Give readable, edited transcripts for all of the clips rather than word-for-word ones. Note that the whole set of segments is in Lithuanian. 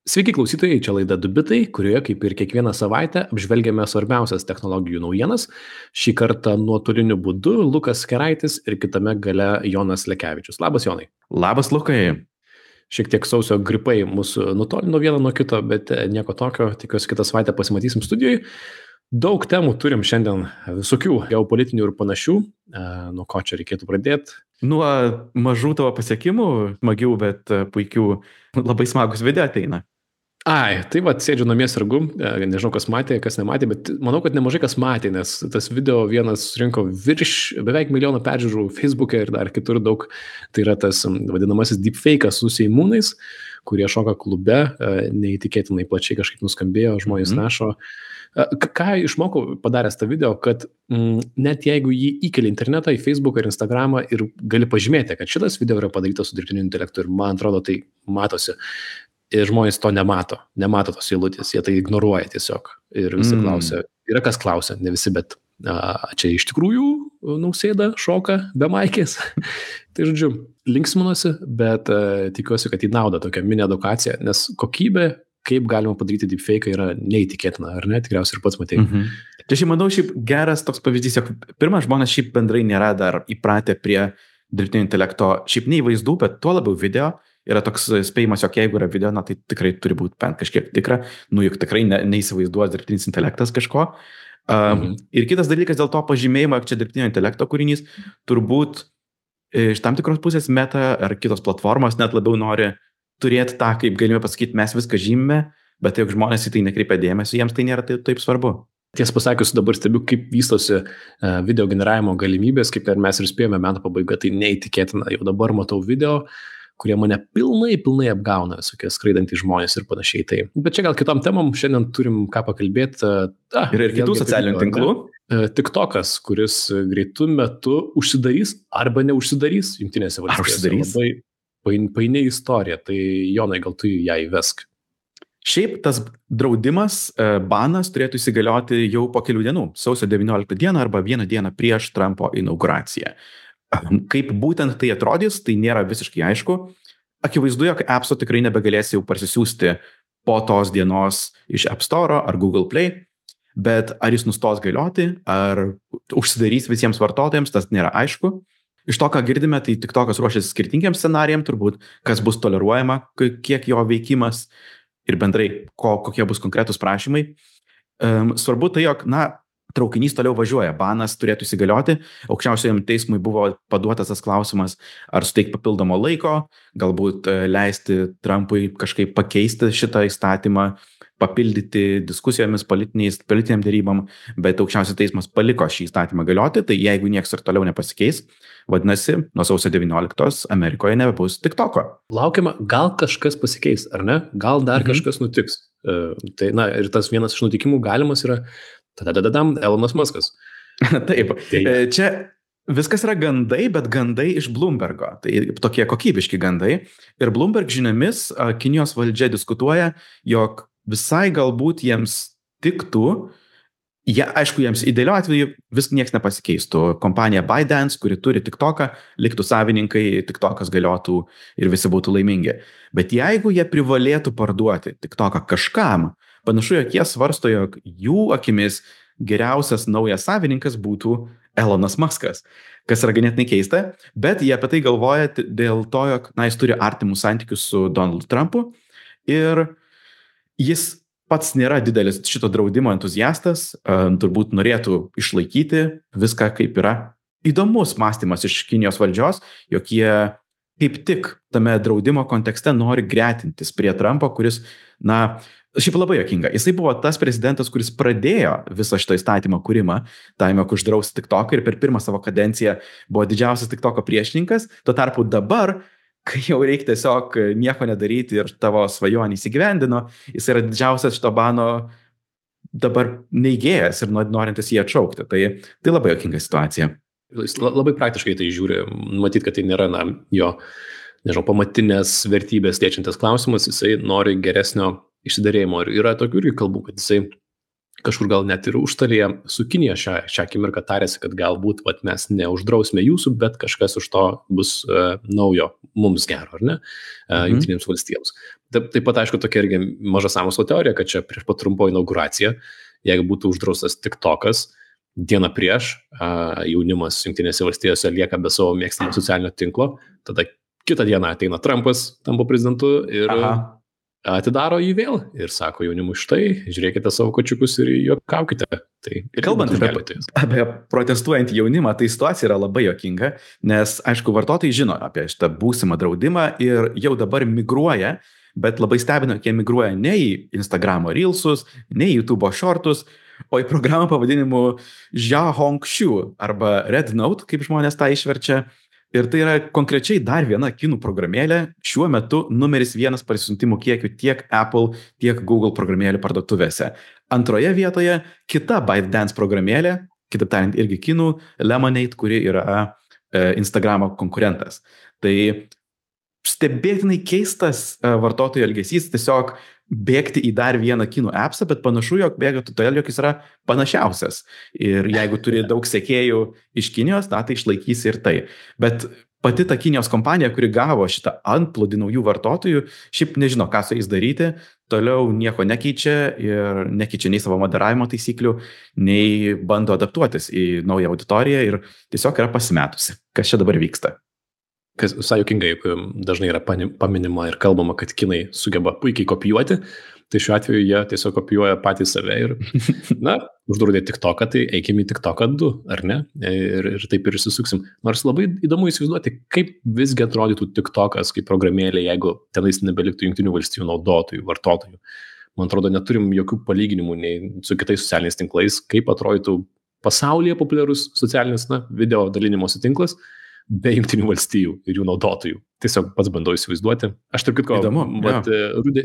Sveiki klausytojai, čia laida Dubitai, kurioje kaip ir kiekvieną savaitę apžvelgiame svarbiausias technologijų naujienas. Šį kartą nuotoliniu būdu Lukas Keraitis ir kitame gale Jonas Lekevičius. Labas, Jonai. Labas, Lukai. Šiek tiek sausio gripai mūsų nutolino vieną nuo kito, bet nieko tokio. Tikiuosi, kitą savaitę pasimatysim studijoj. Daug temų turim šiandien, visokių geopolitinių ir panašių. Nuo ko čia reikėtų pradėti? Nuo mažų tavo pasiekimų, smagių, bet puikių, labai smagus video ateina. Ai, tai va, sėdžiu namie sargu, nežinau, kas matė, kas nematė, bet manau, kad nemažai kas matė, nes tas video vienas surinko beveik milijoną peržiūrų Facebook'e ir dar kitur daug. Tai yra tas vadinamasis deepfake'as su seimūnais, kurie šoka klube, neįtikėtinai plačiai kažkaip nuskambėjo, žmonės rašo. Ką išmokau padaręs tą video, kad net jeigu jį įkeli internetą, į Facebooką ir Instagramą ir gali pažymėti, kad šitas video yra padarytas su dirbtiniu intelektu ir man atrodo tai matosi. Ir žmonės to nemato tos eilutės, jie tai ignoruoja tiesiog. Ir visi klausia, yra kas klausia, ne visi, bet čia iš tikrųjų Nausėda šoka be maikės. Tai žodžiu, linksminuosi, bet tikiuosi, kad į naudą tokia mini edukacija, nes kokybė, kaip galima padaryti deepfake, yra neįtikėtina, ar ne? Tikriausiai ir pats matei. Čia šiaip manau, geras toks pavyzdys, jog pirmas žmonės šiaip bendrai nėra dar įpratę prie dirbtinio intelekto, šiaip nei vaizdų, bet tuo labiau video. Yra toks spėjimas, jog jeigu yra video, tai tikrai turi būti bent kažkiek tikra, juk tikrai neįsivaizduos dirbtinis intelektas kažko. Ir kitas dalykas dėl to pažymėjimo, jog čia dirbtinio intelekto kūrinys, turbūt iš tam tikros pusės Meta ar kitos platformos net labiau nori turėti tą, kaip galime pasakyti, mes viską žymime, bet jeigu žmonės į tai nekreipia dėmesio, jiems tai nėra taip svarbu. Tiesą pasakius, dabar stebiu, kaip vystosi video generavimo galimybės, kaip ir mes ir spėjome metų pabaiga, tai neįtikėtina. Jau dabar matau video, kurie mane pilnai apgauna, visokie skraidantys žmonės ir panašiai. Tai. Bet čia gal kitom temom, šiandien turim ką pakalbėti. Ir kitų socialinių tinklų. TikTokas, kuris greitų metu užsidarys arba neužsidarys Jungtinėse valstijose. Labai paini istorija, tai Jonai, gal tu ją įvesk. Šiaip tas draudimas, banas turėtų įsigalioti jau po kelių dienų, sausio 19 dieną arba vieną dieną prieš Trumpo inauguraciją. Kaip būtent tai atrodys, tai nėra visiškai aišku. Akivaizdu, jog appso tikrai nebegalės jau parsisiųsti po tos dienos iš App Store ar Google Play, bet ar jis nustos galioti, ar užsidarys visiems vartotojams, tas nėra aišku. Iš to, ką girdime, tai TikTokas ruošiasi skirtingiems scenarijams, turbūt kas bus toleruojama, kiek jo veikimas ir bendrai kokie bus konkretūs prašymai. Svarbu tai, jog, traukinys toliau važiuoja, banas turėtų įsigalioti, aukščiausiajam teismui buvo paduotas tas klausimas, ar suteikti papildomo laiko, galbūt leisti Trumpui kažkaip pakeisti šitą įstatymą, papildyti diskusijomis politiniam dėrybam, bet aukščiausias teismas paliko šį įstatymą galioti, tai jeigu nieks ir toliau nepasikeis, vadinasi, nuo sausio 19 Amerikoje nebebus TikToko. Laukiama, gal kažkas pasikeis, ar ne? Gal dar kažkas nutiks. Tai, ir tas vienas iš nutikimų galimas yra Elonas Muskas. Taip, čia viskas yra gandai, bet gandai iš Bloombergo. Tai tokie kokybiški gandai. Ir Bloomberg žiniomis Kinijos valdžia diskutuoja, jog visai galbūt jiems tiktų, aišku, jiems idealiu atveju vis nieks nepasikeistų. Kompanija ByteDance, kuri turi TikToką, liktų savininkai, TikTokas galiotų ir visi būtų laimingi. Bet jeigu jie privalėtų parduoti TikToką kažkam, panašu, jog jie svarsto, jog jų akimis geriausias naujas savininkas būtų Elonas Muskas, kas yra ganėtinai keista, bet jie apie tai galvoja dėl to, jog jis turi artimus santykius su Donald Trumpu ir jis pats nėra didelis šito draudimo entuziastas, turbūt norėtų išlaikyti viską kaip yra. Įdomus mąstymas iš Kinijos valdžios, jog jie kaip tik tame draudimo kontekste nori gretintis prie Trumpo, kuris, šiaip labai juokinga. Jisai buvo tas prezidentas, kuris pradėjo visą šito įstatymo kūrimą, jog uždrausti TikToką ir per pirmą savo kadenciją buvo didžiausias TikToko priešininkas. Tuo tarpu dabar, kai jau reikia tiesiog nieko nedaryti ir tavo svajonį įsigyvendino, jis yra didžiausias šito bano dabar neigėjas ir norintis jį atšaukti. Tai labai juokinga situacija. Jis labai praktiškai tai žiūri, matyt, kad tai nėra jo, pamatinės vertybės liečiantis klausimas, jisai nori geresnio išsiderėjimo. Ir yra tokių irgi kalbų, kad jisai kažkur gal net ir užtarėje su Kinija šią akimirką tarėsi, kad galbūt mes neuždrausime jūsų, bet kažkas už to bus naujo mums gero, ar ne, Jungtinėms valstijoms. Taip pat, aišku, tokia irgi maža sąmokslo teorija, kad čia prieš pat trumpo inauguraciją, jeigu būtų uždraustas TikTokas, dieną prieš jaunimas Jungtinėse valstijose lieka be savo mėgstamo socialinio tinklo, tada kitą dieną ateina Trumpas, tampa prezidentu ir atidaro jį vėl ir sako jaunimui, štai, žiūrėkite savo kočiukus ir juokaukite. Tai kalbant apie protestuojantį jaunimą, tai situacija yra labai juokinga, nes, aišku, vartotojai žino apie šitą būsimą draudimą ir jau dabar migruoja, bet labai stebina, jie migruoja ne į Instagramo Reelsus, ne į YouTube Shortus, o į programą pavadinimu Xiaohongshu arba Red Note, kaip žmonės tą išverčia. Ir tai yra konkrečiai dar viena kinų programėlė, šiuo metu numeris 1 parsiuntimų kiekiu tiek Apple, tiek Google programėlių parduotuvėse. Antroje vietoje kita ByteDance programėlė, kitaip tariant irgi kinų, Lemonade, kuri yra Instagramo konkurentas. Tai stebėtinai keistas vartotojų elgesys, tiesiog bėgti į dar vieną kinų appsą, bet panašu, jog bėga todėl, jog jis yra panašiausias. Ir jeigu turi daug sekėjų iš Kinijos, tai išlaikys ir tai. Bet pati ta Kinijos kompanija, kuri gavo šitą antplūdį naujų vartotojų, šiaip nežino, ką su jais daryti, toliau nieko nekeičia ir nekeičia nei savo moderavimo taisyklių, nei bando adaptuotis į naują auditoriją ir tiesiog yra pasimetusi. Kas čia dabar vyksta? Kas visai juokingai dažnai yra paminima ir kalbama, kad kinai sugeba puikiai kopijuoti, tai šiuo atveju jie tiesiog kopijuoja patys save ir, uždraudė TikToką, tai eikime į TikToką 2, ar ne? Ir taip ir įsisuksim. Nors labai įdomu įsivaizduoti, kaip visgi atrodytų TikTokas kaip programėlė, jeigu tenais nebeliktų Jungtinių valstijų naudotojų, vartotojų. Man atrodo, neturim jokių palyginimų nei su kitais socialiniais tinklais, kaip atrodytų pasaulyje populiarus socialinis video dalinimosi tinklas, be Jungtinių valstijų ir jų naudotojų. Tiesiog pats bandau įsivaizduoti. Aš tarp kitko,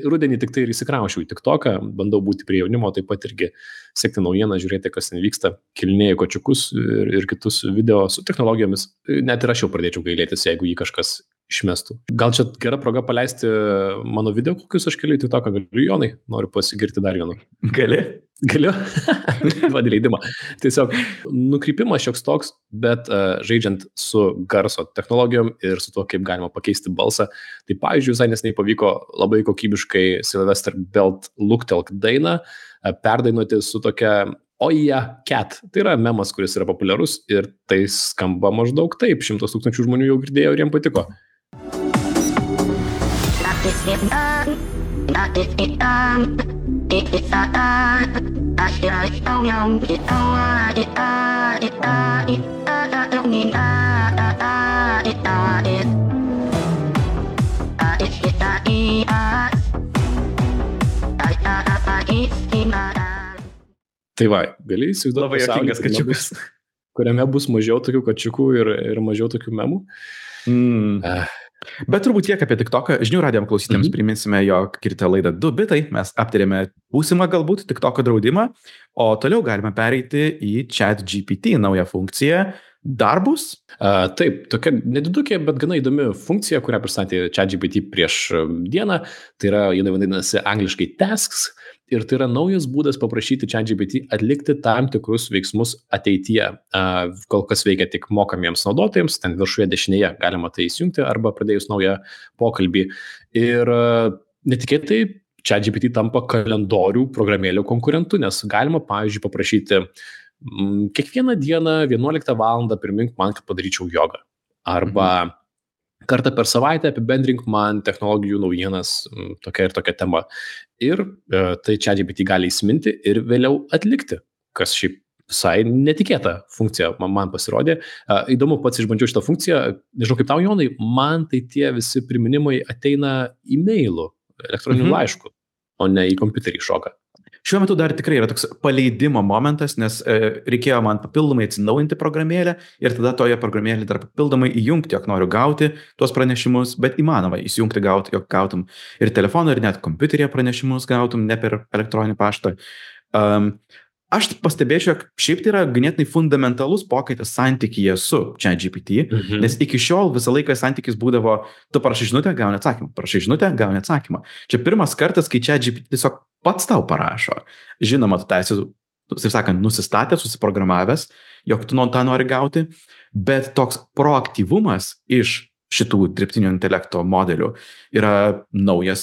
rudenį tik tai ir įsikraušiau į TikToką, bandau būti prie jaunimo, taip pat irgi sekti naujieną, žiūrėti, kas ten vyksta, kilinėjau kočiukus ir kitus video su technologijomis. Net ir aš jau pradėčiau gailėtis, jeigu jį kažkas išmestų. Gal čia gera proga paleisti mano video, kokius aš keliu į TikToką, galiu, Jonai, noriu pasigirti dar vienu. Galiu? Duodi leidimą. Tiesiog nukrypimas šioks toks, bet žaidžiant su garso technologijom ir su tuo, kaip galima pakeisti balsą. Tai pavyzdžiui, visai neseniai pavyko labai kokybiškai Sylvester Belt Luktelk dainą perdainuoti su tokia Oja Cat. Tai yra memas, kuris yra populiarus ir tai skamba maždaug taip. 100 000 žmonių jau girdėjo ir jiem patiko. Tai va, gali įsivaizduoti labai juokingas kačiukas, kuriame bus mažiau tokių kačiukų ir mažiau tokių memų. Bet turbūt tiek apie TikToką. Žinių radijo klausytėms priminsime, jog girdite laidą 2 bitai. Mes aptarėme būsimą galbūt TikToko draudimą, o toliau galime pereiti į ChatGPT naują funkciją. Darbus? Taip, tokia nedidukė, bet gana įdomi funkcija, kurią pristatė ChatGPT prieš dieną. Tai yra, jinai vadinasi angliškai tasks. Ir tai yra naujas būdas paprašyti ChatGPT atlikti tam tikrus veiksmus ateityje. Kol kas veikia tik mokamiems naudotojams, ten viršuje dešinėje galima tai įsijungti arba pradėjus naują pokalbį. Ir netikėtai ChatGPT tampa kalendorių programėlių konkurentu, nes galima, pavyzdžiui, paprašyti kiekvieną dieną 11 valandą primink man, kad padaryčiau jogą. Arba kartą per savaitę apibendrink man technologijų naujienas tokia ir tokia tema. Ir tai ChatGPT gali įsiminti ir vėliau atlikti, kas šiaip visai netikėta funkcija man pasirodė. Įdomu, pats išbandžiau šitą funkciją, nežinau kaip tau, Jonai, man tai tie visi priminimai ateina e-mailu, elektroniniu laišku, o ne į kompiuterį šoka. Šiuo metu dar tikrai yra toks paleidimo momentas, nes reikėjo man papildomai atsinaujinti programėlę ir tada toje programėlėje dar papildomai įjungti, jog noriu gauti tuos pranešimus, bet įmanoma įsijungti gauti, jog gautum ir telefoną, ir net kompiuteryje pranešimus gautum, ne per elektroninį paštą. Aš pastebėčiau, jog šiaip tai yra ganėtinai fundamentalus pokytis santykyje su ChatGPT, nes iki šiol visą laiką santykis būdavo, tu parašai žinutę, gauni atsakymą, parašai žinutę, gauni atsakymą. Čia pirmas kartas, kai ChatGPT tiesiog pats tau parašo. Žinoma, tu esi, taip sakant, nusistatęs, susiprogramavęs, jog tu tą nori gauti, bet toks proaktyvumas iš šitų dirbtinio intelekto modelių yra nauja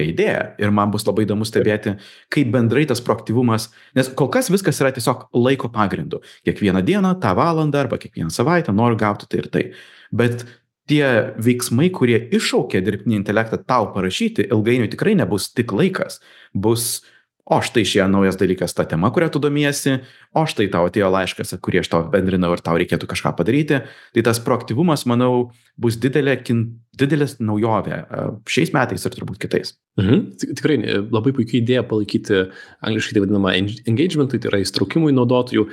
idėja. Ir man bus labai įdomu stebėti, kaip bendrai tas proaktyvumas, nes kol kas viskas yra tiesiog laiko pagrindu. Kiekvieną dieną, tą valandą arba kiekvieną savaitę noriu gauti tai ir tai. Bet tie veiksmai, kurie iššaukia dirbtinį intelektą tau parašyti, ilgainiui tikrai nebus tik laikas. Bus, o štai šie naujas dalykas, ta tema, kurią tu domiesi, o štai tau atėjo laiškas, kurį aš tau bendrinau ir tau reikėtų kažką padaryti. Tai tas proaktyvumas, manau, bus didelės naujovė šiais metais ir turbūt kitais. Tikrai labai puikiai idėja palaikyti angliškai tai vadinamą engagementui, tai yra įstraukimui naudotojų,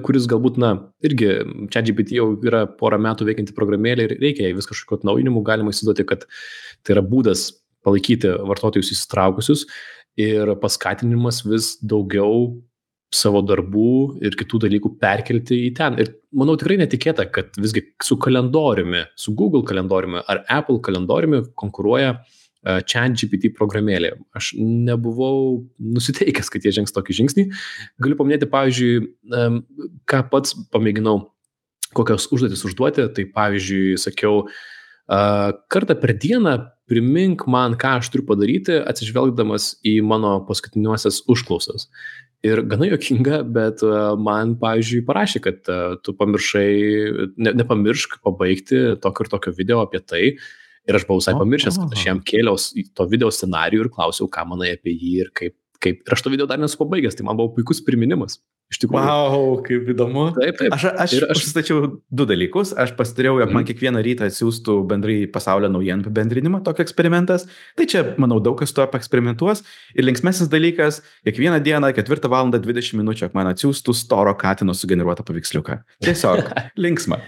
kuris galbūt, irgi ChatGPT jau yra porą metų veikianti programėlė ir reikia jai vis kažkokio atnaujinimų, galima įsivaizduoti, kad tai yra būdas palaikyti vartotojus įsitraukusius ir paskatinimas vis daugiau savo darbų ir kitų dalykų perkelti į ten. Ir manau tikrai netikėta, kad visgi su kalendoriumi, su Google kalendoriumi ar Apple kalendoriumi konkuruoja ChatGPT programėlė. Aš nebuvau nusiteikęs, kad jie žengs tokį žingsnį. Galiu paminėti, pavyzdžiui, ką pats pamėginau, kokios užduotis užduoti. Tai pavyzdžiui, sakiau, kartą per dieną primink man, ką aš turiu padaryti, atsižvelgdamas į mano paskutiniuosias užklausas. Ir gana juokinga, bet man, pavyzdžiui, parašė, kad tu pamiršai, nepamiršk pabaigti tokio ir tokio video apie tai. Ir aš buvau visai pamiršęs, kad aš jam kėliau to video scenarijų ir klausiau, ką manai apie jį ir kaip. Ir aš to video dar nesu pabaigęs, tai man buvo puikus priminimas. Iš tikrųjų. Wow, kaip įdomu. Taip. Aš pasistačiau 2 dalykus. Aš pasitariau, jog man kiekvieną rytą atsiųstų bendrai pasaulio naujienų apibendrinimą, tokio eksperimentas. Tai čia, manau, daug kas to eksperimentuos. Ir linksmesnis dalykas, kiekvieną dieną 4 valandą 20 minučių, jog man atsiųstų storo katino sugeneruotą paveiksliuką. Tiesiog linksma.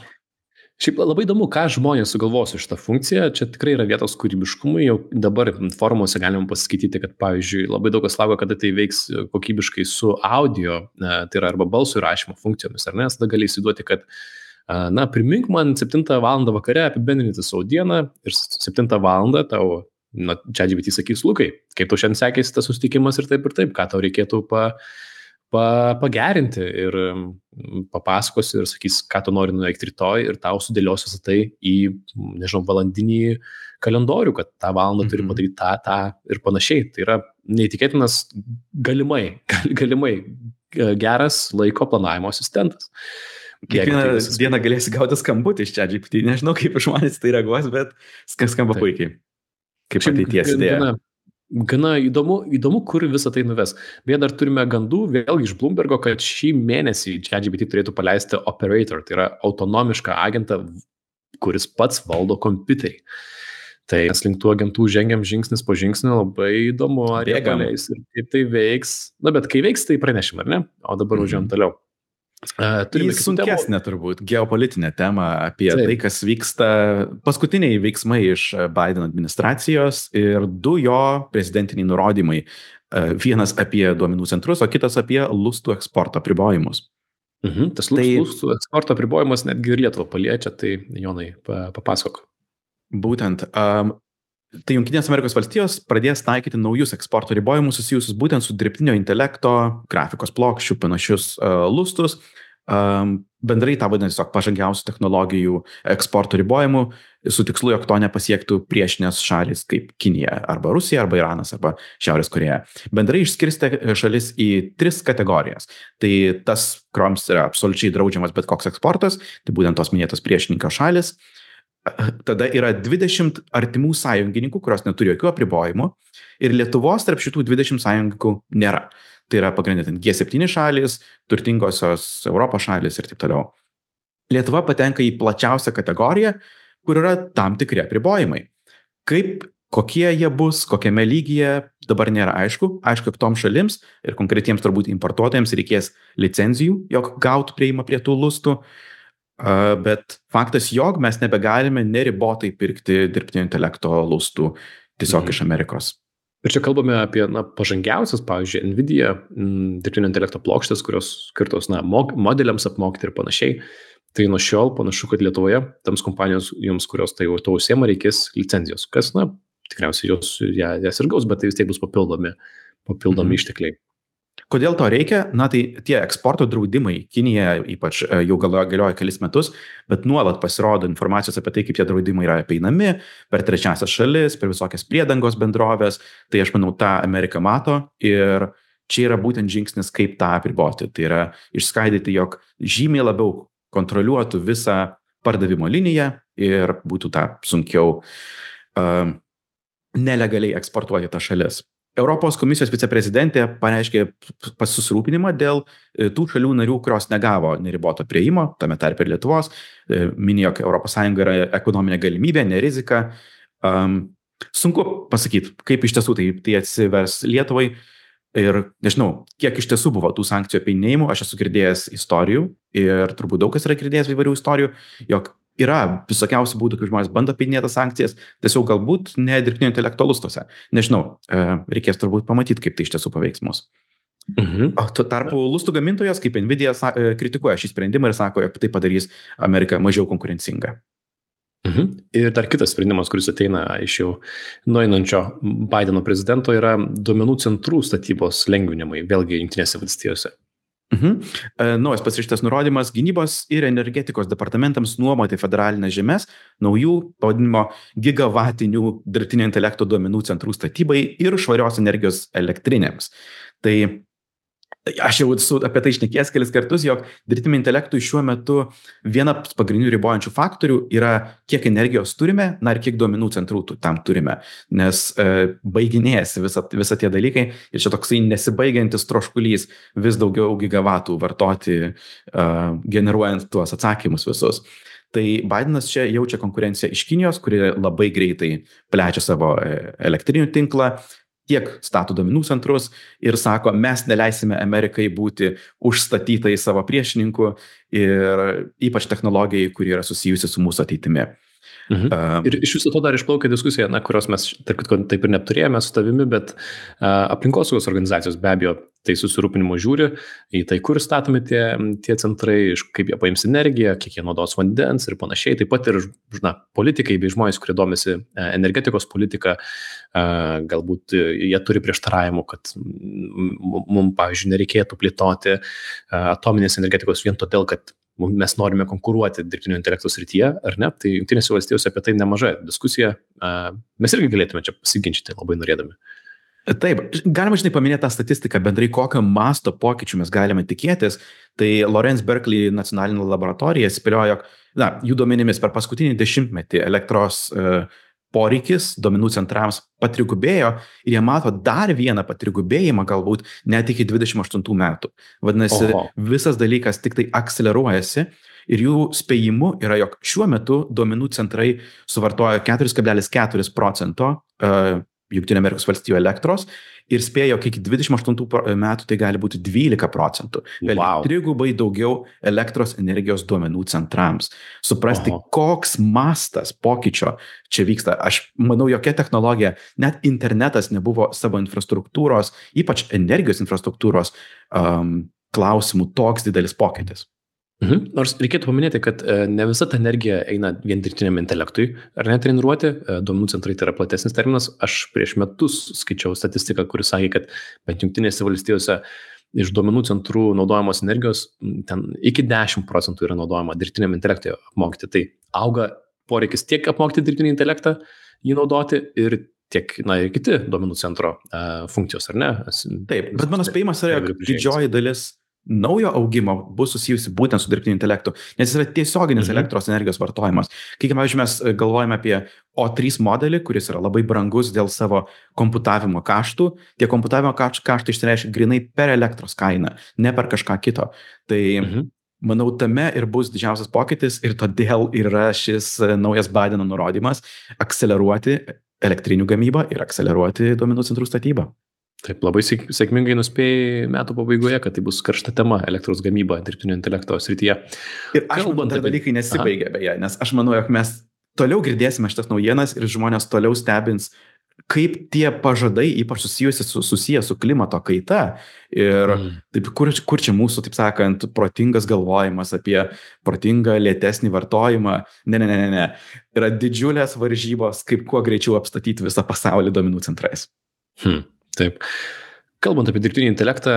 Šiaip labai įdomu, ką žmonės sugalvos iš tą funkciją. Čia tikrai yra vietos kūrybiškumui. Jau dabar forumuose galima pasiskaityti, kad, pavyzdžiui, labai daug kas laukia, kada tai veiks kokybiškai su audio, tai yra arba balsų įrašymo funkcijomis, ar ne? Tada gali įsivaizduoti, kad, primink man 7 valandą vakare apibendrinti savo dieną ir 7 valandą tau, ChatGPT sakys, Lukai, kaip tau šiandien sekėsi tas susitikimas ir taip, ką tau reikėtų pagerinti ir papasakos ir sakys, ką tu nori nuveikti rytoj ir tau sudėlios visą tai į, nežinau, valandinį kalendorių, kad tą valandą turi padaryti tą ir panašiai. Tai yra neįtikėtinas galimai geras laiko planavimo asistentas. Kiekvieną dieną galėsi gauti skambutį iš ChatGPT. Nežinau, kaip žmonės tai reaguos, bet skamba puikiai. Kaip ateities idėja. Gana įdomu, kur visą tai nuves. Beje, dar turime gandų, vėlgi iš Bloombergo, kad šį mėnesį ChatGPT turėtų paleisti Operator, tai yra autonomišką agentą, kuris pats valdo kompiuterį. Tai mes link tų agentų žengiam žingsnis po žingsnio, labai įdomu, ar jie paleis ir kaip tai veiks. Bet kai veiks, tai pranešim, ar ne? O dabar važiuojam toliau. Turime sunkesnė turbūt geopolitinė tema apie tai, kas vyksta, paskutiniai veiksmai iš Biden administracijos ir 2 jo prezidentiniai nurodymai. Vienas apie duomenų centrus, o kitas apie lustų eksporto apribojimus. Tas lustų eksporto apribojimas netgi ir Lietuvą paliečia, tai Jonai, papasakok. Būtent. Tai Jungtinės Amerikos valstijos pradės taikyti naujus eksporto ribojimus susijusius būtent su dirbtinio intelekto, grafikos plokščių, panašius lustus. Bendrai tą vadina tiesiog pažangiausių technologijų eksporto ribojimų su tikslu, jog to nepasiektų priešinės šalis kaip Kinija arba Rusija arba Iranas arba Šiaurės Korėja. Bendrai išskirstė šalis į 3 kategorijas. Tai tas, kurioms yra absoliučiai draudžiamas bet koks eksportas, tai būtent tos minėtos priešininko šalis. Tada yra 20 artimų sąjungininkų, kurios neturi jokių apribojimų ir Lietuvos tarp šitų 20 sąjungininkų nėra. Tai yra pagrindinė G7 šalis, turtingosios Europos šalis ir taip toliau. Lietuva patenka į plačiausią kategoriją, kur yra tam tikri apribojimai. Kokie jie bus, kokiame lygyje, dabar nėra aišku. Aišku, kad toms šalims ir konkretiems turbūt importuotojams reikės licenzijų, jog gautų prieimą prie tų lustų. Bet faktas, jog mes nebegalime neribotai pirkti dirbtinio intelekto lustų tiesiog iš Amerikos. Ir čia kalbame apie pažangiausias, pavyzdžiui, Nvidia dirbtinio intelekto plokštės, kurios skirtos modeliams apmokyti ir panašiai. Tai nuo šiol panašu, kad Lietuvoje tams kompanijoms, kurios tai to užsiema, reikės licenzijos. Kas, tikriausiai jas ir gaus, bet tai vis tiek bus papildomi ištekliai. Kodėl to reikia? Na, tai tie eksporto draudimai, Kinija ypač jau galioja kelis metus, bet nuolat pasirodo informacijos apie tai, kaip tie draudimai yra apeinami per trečiasias šalis, per visokias priedangos bendrovės. Tai aš manau, tą Amerika mato ir čia yra būtent žingsnis, kaip tą apriboti. Tai yra išskaidyti, jog žymiai labiau kontroliuotų visą pardavimo liniją ir būtų tą sunkiau nelegaliai eksportuoti tą šalis. Europos komisijos viceprezidentė pareiškė susirūpinimą dėl tų šalių narių, kurios negavo neriboto prieimo, tame tarpe ir Lietuvos, minėjo, kad ES yra ekonominė galimybė, ne rizika. Sunku pasakyti, kaip iš tiesų tai atsivers Lietuvai ir nežinau, kiek iš tiesų buvo tų sankcijų apeinėjimų. Aš esu girdėjęs istorijų ir turbūt daug kas yra girdėjęs įvairių istorijų, jog yra visokiausių būdų, kaip žmonės bando apeinėti sankcijas, tiesiog galbūt ne dirbtinio intelekto lustuose. Nežinau, reikės turbūt pamatyti, kaip tai iš tiesų paveiks mus. O tuo tarpu lustų gamintojas, kaip Nvidia, kritikuoja šį sprendimą ir sako, jog tai padarys Ameriką mažiau konkurencingą. Ir dar kitas sprendimas, kuris ateina iš jau nueinančio Bideno prezidento, yra duomenų centrų statybos lengvinimai, vėlgi Jungtinėse valstijose. Naujas pasirašytas nurodymas gynybos ir energetikos departamentams nuomoti federalinės žemes naujų pavadinimo gigavatinių dirbtinio intelekto duomenų centrų statybai ir švarios energijos elektrinėms. Tai aš jau esu apie tai šnekėjęs kelis kartus, jog dirbtiniam intelektui šiuo metu vienas pagrindinių ribojančių faktorių yra, kiek energijos turime, na ir kiek duomenų centrų tam turime, nes baiginėjasi visa tie dalykai ir čia toksai nesibaigiantis troškulys vis daugiau gigavatų vartoti, generuojant tuos atsakymus visus. Tai Bidenas čia jaučia konkurenciją iš Kinijos, kuri labai greitai plečia savo elektrinių tinklą, tiek stato duomenų centrus ir sako, mes neleisime Amerikai būti užstatytai savo priešininkų ir ypač technologijai, kuri yra susijusi su mūsų ateitimi. Ir iš viso to dar išplaukia diskusija, kurios mes taip ir neturėjome su tavimi, bet aplinkosaugos organizacijos be abejo tai susirūpinimo žiūri į tai, kur statomi tie centrai, kaip jie paims energiją, kiek jie naudos vandens ir panašiai. Taip pat ir politikai bei žmonės, kurie domisi energetikos politika, galbūt jie turi prieštaravimų, kad mums, pavyzdžiui, nereikėtų plėtoti atominės energetikos vien todėl, kad mes norime konkuruoti dirbtinio intelekto srityje, ar ne? Tai Jungtinėse valstijose apie tai nemaža diskusija. Mes irgi galėtume čia pasiginčyti labai norėdami. Taip, galima paminėti tą statistiką bendrai, kokio masto pokyčių mes galime tikėtis. Tai Lawrence Berkeley nacionalinė laboratorija spėliojo, jog jų duomenimis per paskutinį 10-metį elektros poreikis duomenų centrams patrigubėjo ir jie mato dar vieną patrigubėjimą galbūt net iki 28 metų. Vadinasi, visas dalykas tik tai akceleruojasi ir jų spėjimu yra, jog šiuo metu duomenų centrai suvartoja 4,4% Jungtinių Amerikos valstijų elektros ir spėjo, iki 28 metų tai gali būti 12%. Wow. Trigubai daugiau elektros energijos duomenų centrams. Suprasti, koks mastas pokyčio čia vyksta. Aš manau, jokia technologija, net internetas nebuvo savo infrastruktūros, ypač energijos infrastruktūros klausimų toks didelis pokytis. Nors reikėtų paminėti, kad ne visa ta energija eina vien dirbtiniam intelektui, ar ne treniruoti, duomenų centrai tai yra platesnis terminas. Aš prieš metus skaičiau statistiką, kuris sakė, kad bent Jungtinėse valstijose iš duomenų centrų naudojamos energijos ten iki 10% yra naudojama dirbtiniam intelektui apmokyti. Tai auga poreikis tiek apmokyti dirbtinį intelektą, jį naudoti ir tiek, ir kiti duomenų centro funkcijos, ar ne? Taip, bet mano spėjimas yra, didžioji dalis naujo augimo bus susijusi būtent su dirbtiniu intelektu, nes jis yra tiesioginis elektros energijos vartojimas. Kai, pavyzdžiui, mes galvojame apie O3 modelį, kuris yra labai brangus dėl savo komputavimo kaštų, tie komputavimo kaštai išsireiškia grinai per elektros kainą, ne per kažką kito. Tai manau, tame ir bus didžiausias pokytis ir todėl yra šis naujas Bideno nurodymas akceleruoti elektrinių gamybą ir akceleruoti duomenų centrų statybą. Taip, labai sėkmingai nuspėjai metų pabaigoje, kad tai bus karšta tema elektros gamyba dirbtinio intelekto srityje. Ir aš manau, dar dalykai nesibaigia beje, nes aš manau, jog mes toliau girdėsime šitas naujienas ir žmonės toliau stebins, kaip tie pažadai, ypač susiję su klimato kaita ir taip, kur čia mūsų, taip sakant, protingas galvojimas apie protingą lėtesnį vartojimą. Ne. Yra didžiulės varžybos, kaip kuo greičiau apstatyti visą pasaulį duomenų centrais. Taip. Kalbant apie dirbtinį intelektą,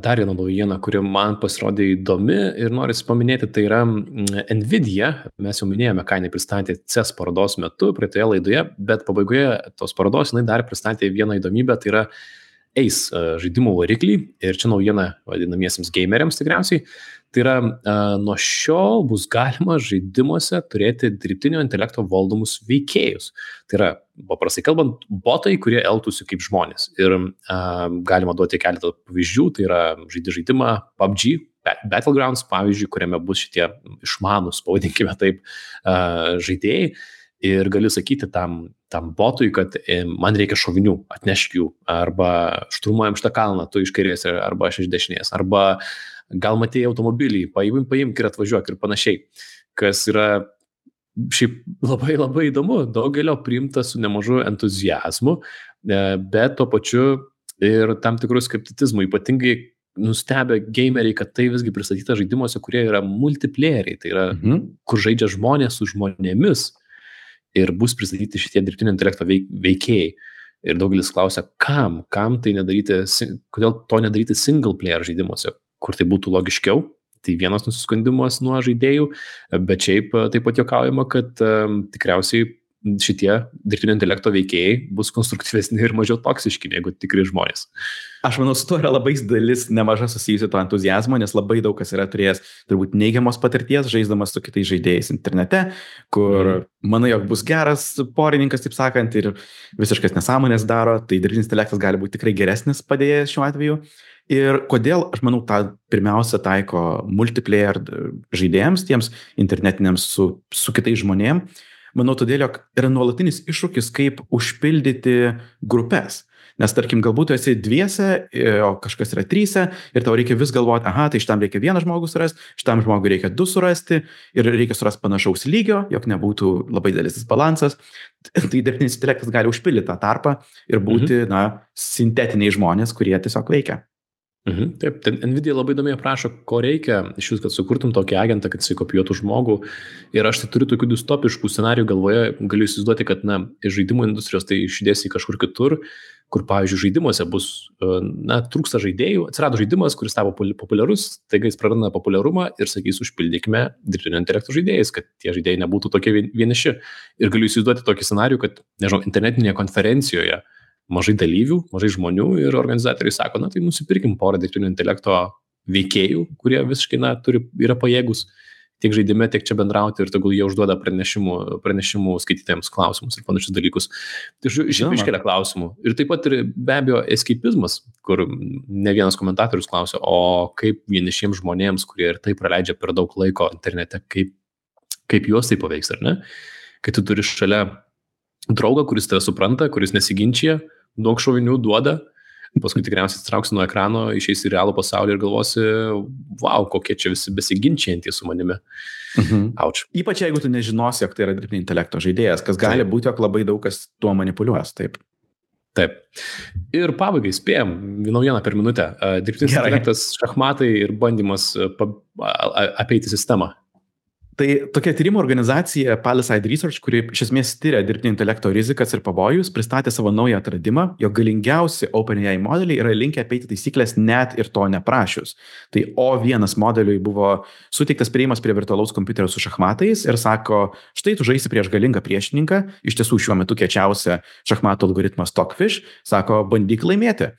dar viena naujiena, kuri man pasirodė įdomi ir norisi paminėti, tai yra Nvidia. Mes jau minėjome, ką jinai pristatė CES parodos metu, praeitoje laidoje, bet pabaigoje tos parodos jinai dar pristatė vieną įdomybę, tai yra Ace žaidimų variklį. Ir čia naujiena vadinamiesiems gameriams tikriausiai. Tai yra, nuo šiol bus galima žaidimuose turėti dirbtinio intelekto valdomus veikėjus. Tai yra, paprastai kalbant, botai, kurie elgtųsi kaip žmonės. Ir galima duoti keletą pavyzdžių, tai yra žaidimą PUBG, Battlegrounds, pavyzdžiui, kuriame bus šitie išmanūs, pavadinkime taip, žaidėjai. Ir gali sakyti tam botui, kad man reikia šovinių, atnešk jų, arba šturmuojam šitą kalną, tu iš kairės, arba aš iš dešinės, arba gal matėjai automobilį, paimk ir atvažiuok ir panašiai, kas yra šiaip labai labai įdomu, daugelio priimta su nemažu entuziazmu, bet tuo pačiu ir tam tikrų skepticizmų, ypatingai nustebę gameriai, kad tai visgi pristatyta žaidimuose, kurie yra multiplayeriai, tai yra, kur žaidžia žmonės su žmonėmis ir bus pristatyti šitie dirbtinio intelekto veikėjai. Ir daugelis klausia, kam tai nedaryti, kodėl to nedaryti single player žaidimuose, kur tai būtų logiškiau. Tai vienas nusiskundimas nuo žaidėjų, bet šiaip taip pat juokaujama, kad tikriausiai šitie dirbtinio intelekto veikėjai bus konstruktyvesni ir mažiau toksiški negu tikri žmonės. Aš manau, su to yra labai dalis nemaža susijusi to entuzijazmo, nes labai daug kas yra turėjęs turbūt neigiamos patirties, žaisdamas su kitais žaidėjais internete, kur manai, jog bus geras porininkas, taip sakant, ir visiškas nesąmonės daro, tai dirbtinis intelektas gali būti tikrai geresnis padėjęs šiuo atveju. Ir kodėl, aš manau, tą pirmiausia taiko multiplayer žaidėjams, tiems internetiniams su kitais žmonėms. Manau, todėl, jog yra nuolatinis iššūkis, kaip užpildyti grupės. Nes, tarkim, galbūt tu esi dviese, o kažkas yra tryse ir tau reikia vis galvoti, tai šitam reikia vieną žmogų surasti, šitam žmogui reikia du surasti ir reikia surasti panašaus lygio, jog nebūtų labai didelis disbalansas. Tai dirbtinis intelektas gali užpildyti tą tarpą ir būti, sintetiniai žmonės, kurie tiesiog veikia. Taip, Nvidia labai įdomiai aprašo, ko reikia iš jūs, kad sukurtum tokį agentą, kad jisai kopijuotų žmogų. Ir aš tai turiu tokių distopiškų scenarijų galvoje, galiu įsivaizduoti, kad iš žaidimų industrijos tai išdėsi kažkur kitur, kur, pavyzdžiui, žaidimuose bus, trūksta žaidėjų, atsirado žaidimas, kuris tapo populiarus, taigi jis praranda populiarumą ir sakys, užpildykime dirbtinio intelekto žaidėjais, kad tie žaidėjai nebūtų tokie vieniši. Ir galiu įsivaizduoti tokį scenarijų, kad, nežinau, internetinėje konferencijoje mažai dalyvių, mažai žmonių ir organizatoriai sako, tai nusipirkim porą dirbtinio intelekto veikėjų, kurie visiškai, yra pajėgus tiek žaidime, tiek čia bendrauti ir tegul jie užduoda pranešimų skaitytėjams klausimus ir panašius dalykus. Tai iškelia klausimų. Ir taip pat ir be abejo eskeipizmas, kur ne vienas komentatorius klausia, o kaip vienišiems žmonėms, kurie ir taip praleidžia per daug laiko internete, kaip juos tai paveiks, ar ne? Kai tu turi šalia draugą, kuris tave supranta, kuris nesiginčia, daug šovinių duoda, paskui tikriausiai atsitrauksi nuo ekrano, išeisi į realų pasaulį ir galvosi, wow, kokie čia visi besiginčiantys su manimi. Auč. Ypač jeigu tu nežinosi, jog tai yra dirbtinio intelekto žaidėjas, kas gali būti, jog labai daug kas tuo manipuliuos, taip. Taip. Ir pabaigai spėjom, vieną per minutę. Dirbtinis intelektas, šachmatai ir bandymas apeiti sistemą. Tai tokia tyrimo organizacija Palisade Research, kuri iš esmės tyria dirbtinio intelekto rizikas ir pavojus, pristatė savo naują atradimą, jog galingiausi OpenAI modeliai yra linkę apeiti taisyklės net ir to neprašius. Tai O1 modeliui buvo suteiktas priėjimas prie virtualaus kompiuterio su šachmatais ir sako, štai tu žaisi prieš galingą priešininką, iš tiesų šiuo metu kiečiausia šachmatų algoritmas Stockfish, sako, bandyk laimėti.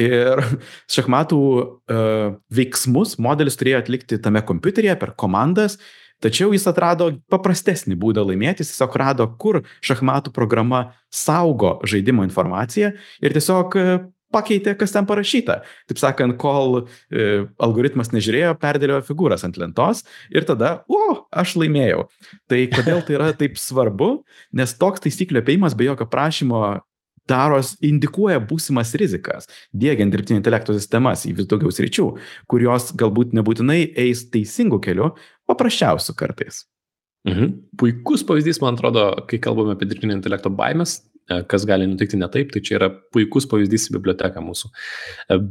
Ir šachmatų veiksmus modelis turėjo atlikti tame kompiuteryje per komandas. Tačiau jis atrado paprastesnį būdą laimėti, jis tiesiog rado, kur šachmatų programa saugo žaidimo informaciją ir tiesiog pakeitė, kas ten parašyta. Taip sakant, kol algoritmas nežiūrėjo, perdėliojo figūras ant lentos ir tada, aš laimėjau. Tai kodėl tai yra taip svarbu? Nes toks taisyklių apėjimas be jokio prašymo indikuoja būsimas rizikas, diegiant dirbtinio intelekto sistemas į vis daugiau sričių, kurios galbūt nebūtinai eis teisingų kelių, paprasčiausių kartais. Puikus pavyzdys, man atrodo, kai kalbame apie dirbtinio intelekto baimės, kas gali nutikti ne taip, tai čia yra puikus pavyzdys į biblioteką mūsų.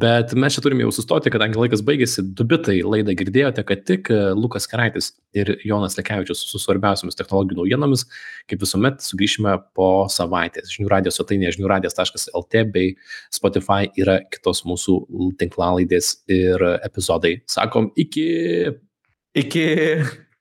Bet mes čia turime jau sustoti, kadangi laikas baigėsi, 2 bitai laidą girdėjote, kad tik Lukas Keraitis ir Jonas Lekevičius su svarbiausiamis technologijų naujienomis, kaip visuomet, sugrįšime po savaitės. Žinių radijos svetainėje žiniųradijas.lt bei Spotify yra kitos mūsų tinklalaidės ir epizodai. Sakom, iki.